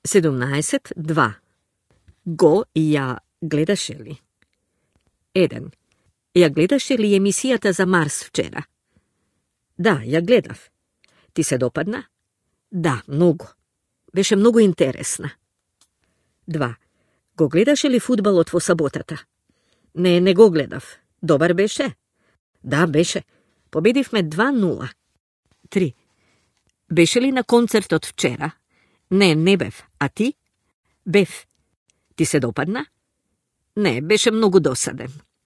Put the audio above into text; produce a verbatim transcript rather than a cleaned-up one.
седумнаесет два. Го ја гледаше ли? еден. Ја гледаше ли емисијата за Марс вчера? Да, ја гледав. Ти се допадна? Да, многу. Беше многу интересна. два. Го гледаше ли фудбалот во саботата? Не, не го гледав. Добар беше? Да, беше. Победивме два нула. три. Беше ли на концертот вчера? Не, не бев. А ти? Бев. Ти се допадна? Не, беше многу досаден.